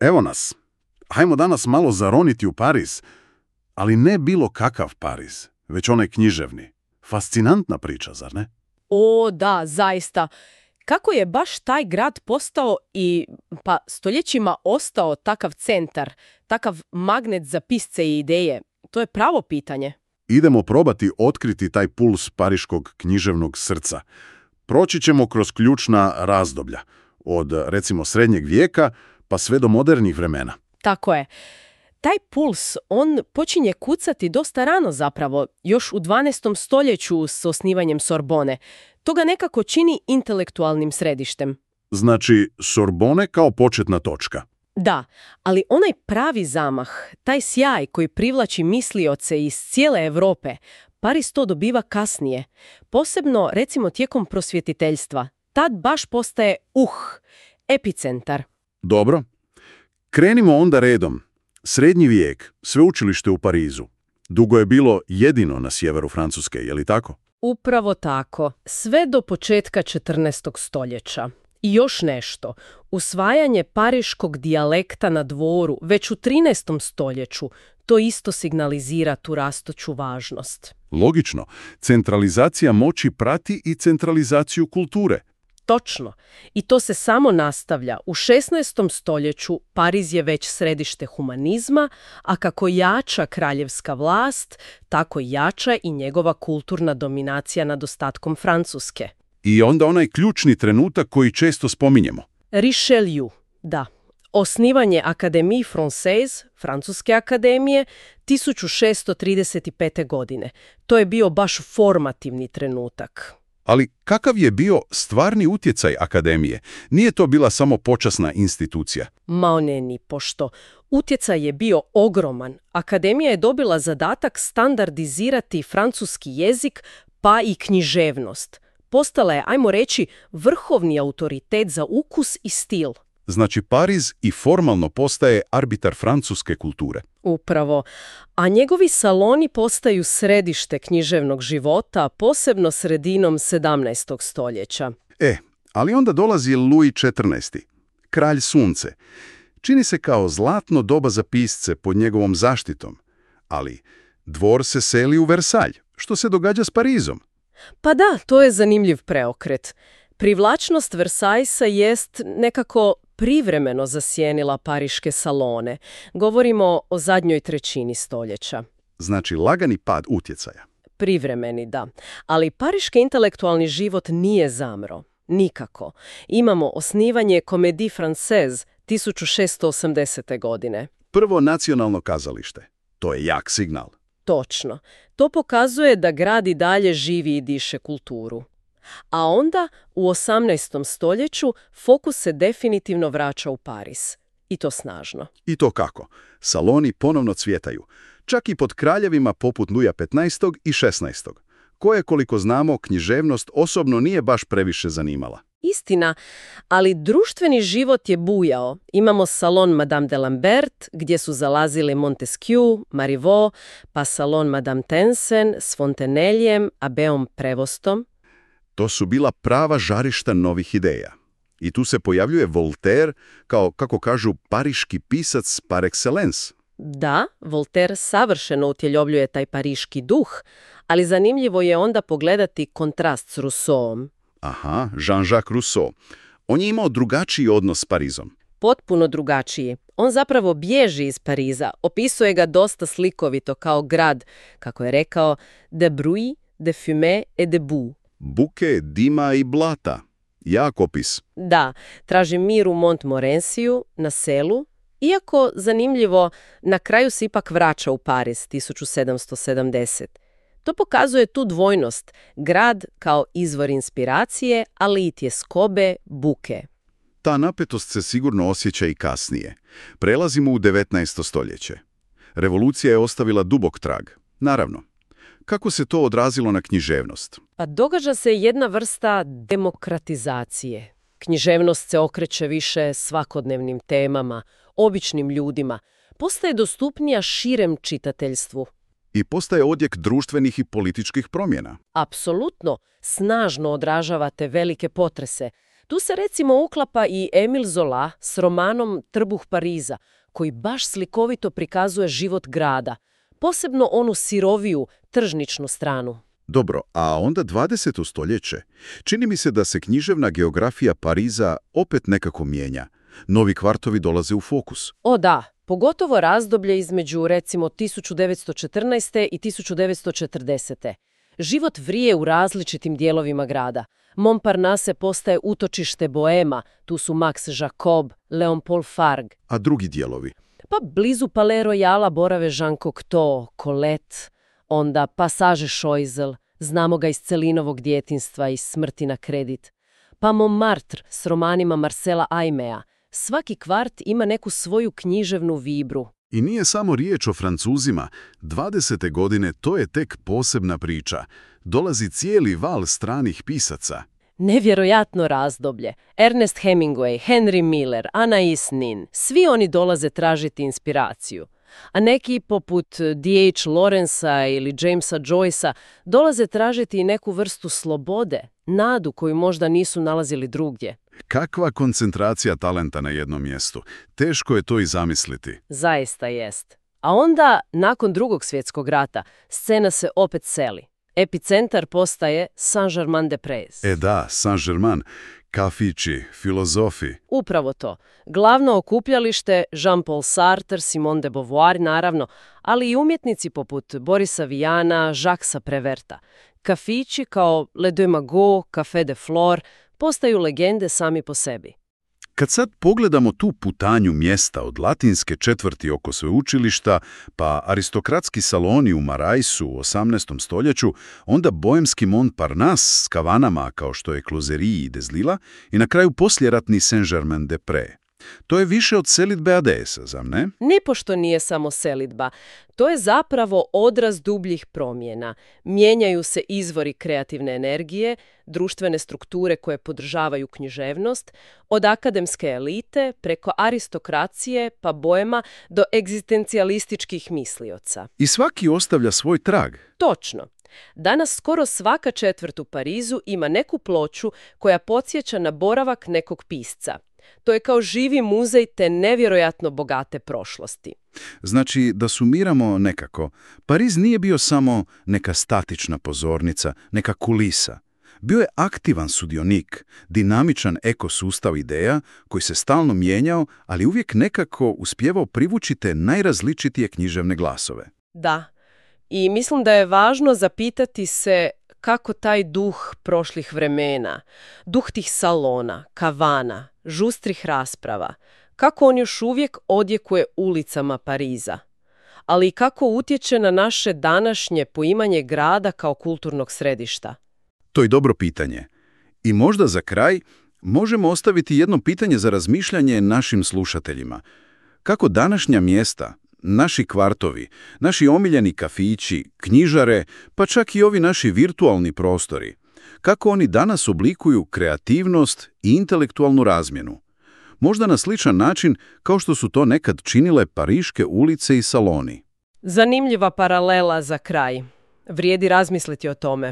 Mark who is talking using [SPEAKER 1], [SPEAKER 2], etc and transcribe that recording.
[SPEAKER 1] Evo nas. Hajmo danas malo zaroniti u Pariz, ali ne bilo kakav Pariz, već onaj književni. Fascinantna priča, zar ne?
[SPEAKER 2] O, da, zaista. Kako je baš taj grad postao i stoljećima ostao takav centar, takav magnet za pisce i ideje? To je pravo pitanje.
[SPEAKER 1] Idemo probati otkriti taj puls pariškog književnog srca. Proći ćemo kroz ključna razdoblja, od recimo srednjeg vijeka pa sve do modernih vremena.
[SPEAKER 2] Tako je. Taj puls, on počinje kucati dosta rano zapravo, još u 12. stoljeću s osnivanjem Sorbone. To ga nekako čini intelektualnim središtem.
[SPEAKER 1] Znači, Sorbone kao početna točka.
[SPEAKER 2] Da, ali onaj pravi zamah, taj sjaj koji privlači mislioce iz cijele Europe, Pariz to dobiva kasnije. Posebno, recimo, tijekom prosvjetiteljstva. Tad baš postaje epicentar.
[SPEAKER 1] Dobro. Krenimo onda redom. Srednji vijek, sveučilište u Parizu. Dugo je bilo jedino na sjeveru Francuske, je li tako?
[SPEAKER 2] Upravo tako. Sve do početka 14. stoljeća. I još nešto. Usvajanje pariškog dijalekta na dvoru već u 13. stoljeću to isto signalizira tu rastuću važnost.
[SPEAKER 1] Logično. Centralizacija moći prati i centralizaciju kulture.
[SPEAKER 2] Točno. I to se samo nastavlja. U 16. stoljeću Pariz je već središte humanizma, a kako jača kraljevska vlast, tako jača i njegova kulturna dominacija nad ostatkom Francuske.
[SPEAKER 1] I onda onaj ključni trenutak koji često spominjemo.
[SPEAKER 2] Richelieu, da. Osnivanje Académie Française, Francuske akademije, 1635. godine. To je bio baš formativni trenutak.
[SPEAKER 1] Ali kakav je bio stvarni utjecaj akademije? Nije to bila samo počasna institucija.
[SPEAKER 2] Ma ne ni pošto. Utjecaj je bio ogroman. Akademija je dobila zadatak standardizirati francuski jezik pa i književnost. Postala je, ajmo reći, vrhovni autoritet za ukus i stil.
[SPEAKER 1] Znači Pariz i formalno postaje arbitar francuske kulture.
[SPEAKER 2] Upravo. A njegovi saloni postaju središte književnog života, posebno sredinom 17. stoljeća.
[SPEAKER 1] Ali onda dolazi Louis XIV, kralj sunce. Čini se kao zlatno doba za pisce pod njegovom zaštitom. Ali dvor se seli u Versailles. Što se događa s Parizom?
[SPEAKER 2] Pa da, to je zanimljiv preokret. Privlačnost Versajsa jest nekako privremeno zasjenila pariške salone. Govorimo o zadnjoj trećini stoljeća.
[SPEAKER 1] Znači lagani pad utjecaja.
[SPEAKER 2] Privremeni, da. Ali pariški intelektualni život nije zamro. Nikako. Imamo osnivanje Comédie Française 1680. godine.
[SPEAKER 1] Prvo nacionalno kazalište. To je jak signal.
[SPEAKER 2] Točno. To pokazuje da grad i dalje živi i diše kulturu. A onda, u 18. stoljeću, fokus se definitivno vraća u Pariz. I to snažno.
[SPEAKER 1] I to kako? Saloni ponovno cvjetaju. Čak i pod kraljevima poput Luja XV. I XVI. Koje, koliko znamo, književnost osobno nije baš previše zanimala.
[SPEAKER 2] Istina, ali društveni život je bujao. Imamo salon Madame de Lambert, gdje su zalazili Montesquieu, Marivaux, pa salon Madame Tencin s Fonteneljem, Abbeom Prevostom.
[SPEAKER 1] To su bila prava žarišta novih ideja. I tu se pojavljuje Voltaire kao, kako kažu, pariški pisac par excellence.
[SPEAKER 2] Da, Voltaire savršeno utjeljobljuje taj pariški duh, ali zanimljivo je onda pogledati kontrast s Rousseauom.
[SPEAKER 1] Aha, Jean-Jacques Rousseau. On je imao drugačiji odnos s Parizom.
[SPEAKER 2] Potpuno drugačiji. On zapravo bježi iz Pariza, opisuje ga dosta slikovito kao grad, kako je rekao, de bruit, de fumée et de boue.
[SPEAKER 1] Buke, dima i blata. Jak opis.
[SPEAKER 2] Da, traži mir u Montmorenciju, na selu, iako, zanimljivo, na kraju se ipak vraća u Pariz 1770. To pokazuje tu dvojnost, grad kao izvor inspiracije, ali i tjeskobe, buke.
[SPEAKER 1] Ta napetost se sigurno osjeća i kasnije. Prelazimo u 19. stoljeće. Revolucija je ostavila dubok trag. Naravno. Kako se to odrazilo na književnost?
[SPEAKER 2] Pa događa se jedna vrsta demokratizacije. Književnost se okreće više svakodnevnim temama, običnim ljudima. Postaje dostupnija širem čitateljstvu.
[SPEAKER 1] I postaje odjek društvenih i političkih promjena.
[SPEAKER 2] Apsolutno, snažno odražavate velike potrese. Tu se recimo uklapa i Émile Zola s romanom Trbuh Pariza, koji baš slikovito prikazuje život grada, posebno onu siroviju, tržničnu stranu.
[SPEAKER 1] Dobro, a onda 20. stoljeće. Čini mi se da se književna geografija Pariza opet nekako mijenja. Novi kvartovi dolaze u fokus.
[SPEAKER 2] O da, pogotovo razdoblje između recimo 1914. i 1940. Život vrije u različitim dijelovima grada. Montparnasse postaje utočište boema, tu su Max Jacob, Léon-Paul Fargue.
[SPEAKER 1] A drugi dijelovi?
[SPEAKER 2] Pa blizu Palais Royala borave Jean Cocteau, Colette, onda Passage Choiseul, znamo ga iz Celinovog djetinjstva i Smrti na kredit. Pa Montmartre s romanima Marcela Aimea. Svaki kvart ima neku svoju književnu vibru.
[SPEAKER 1] I nije samo riječ o Francuzima. 20. godine to je tek posebna priča. Dolazi cijeli val stranih pisaca.
[SPEAKER 2] Nevjerojatno razdoblje. Ernest Hemingway, Henry Miller, Anais Nin, svi oni dolaze tražiti inspiraciju. A neki poput D.H. Lawrencea ili Jamesa Joycea dolaze tražiti i neku vrstu slobode, nadu koju možda nisu nalazili drugdje.
[SPEAKER 1] Kakva koncentracija talenta na jednom mjestu. Teško je to i zamisliti.
[SPEAKER 2] Zaista jest. A onda, nakon Drugog svjetskog rata, scena se opet seli. Epicentar postaje Saint-Germain-des-Prés.
[SPEAKER 1] Da, Saint-Germain, kafići, filozofi.
[SPEAKER 2] Upravo to. Glavno okupljalište Jean-Paul Sartre, Simone de Beauvoir, naravno, ali i umjetnici poput Borisa Vijana, Jacquesa Préverta. Kafići kao Le Deux Magots, Café de Flore postaju legende sami po sebi.
[SPEAKER 1] Kad sad pogledamo tu putanju mjesta od latinske četvrti oko sveučilišta, pa aristokratski saloni u Maraisu u 18. stoljeću, onda boemski Montparnasse s kavanama kao što je Closerie i Des Lilas i na kraju posljeratni Saint-Germain-des-Prés. To je više od selidbe ADS-a, zar ne?
[SPEAKER 2] Nipošto nije samo selidba. To je zapravo odraz dubljih promjena. Mijenjaju se izvori kreativne energije, društvene strukture koje podržavaju književnost, od akademske elite preko aristokracije pa boema do egzistencijalističkih mislioca.
[SPEAKER 1] I svaki ostavlja svoj trag.
[SPEAKER 2] Točno. Danas skoro svaka četvrt u Parizu ima neku ploču koja podsjeća na boravak nekog pisca. To je kao živi muzej te nevjerojatno bogate prošlosti.
[SPEAKER 1] Znači, da sumiramo nekako, Pariz nije bio samo neka statična pozornica, neka kulisa. Bio je aktivan sudionik, dinamičan ekosustav ideja koji se stalno mijenjao, ali uvijek nekako uspjevao privući te najrazličitije književne glasove.
[SPEAKER 2] Da, i mislim da je važno zapitati se kako taj duh prošlih vremena, duh tih salona, kavana, žustrih rasprava, kako on još uvijek odjekuje ulicama Pariza, ali i kako utječe na naše današnje poimanje grada kao kulturnog središta.
[SPEAKER 1] To je dobro pitanje. I možda za kraj možemo ostaviti jedno pitanje za razmišljanje našim slušateljima. Kako današnja mjesta, naši kvartovi, naši omiljeni kafići, knjižare, pa čak i ovi naši virtualni prostori, kako oni danas oblikuju kreativnost i intelektualnu razmjenu. Možda na sličan način kao što su to nekad činile pariške ulice i saloni.
[SPEAKER 2] Zanimljiva paralela za kraj. Vrijedi razmisliti o tome.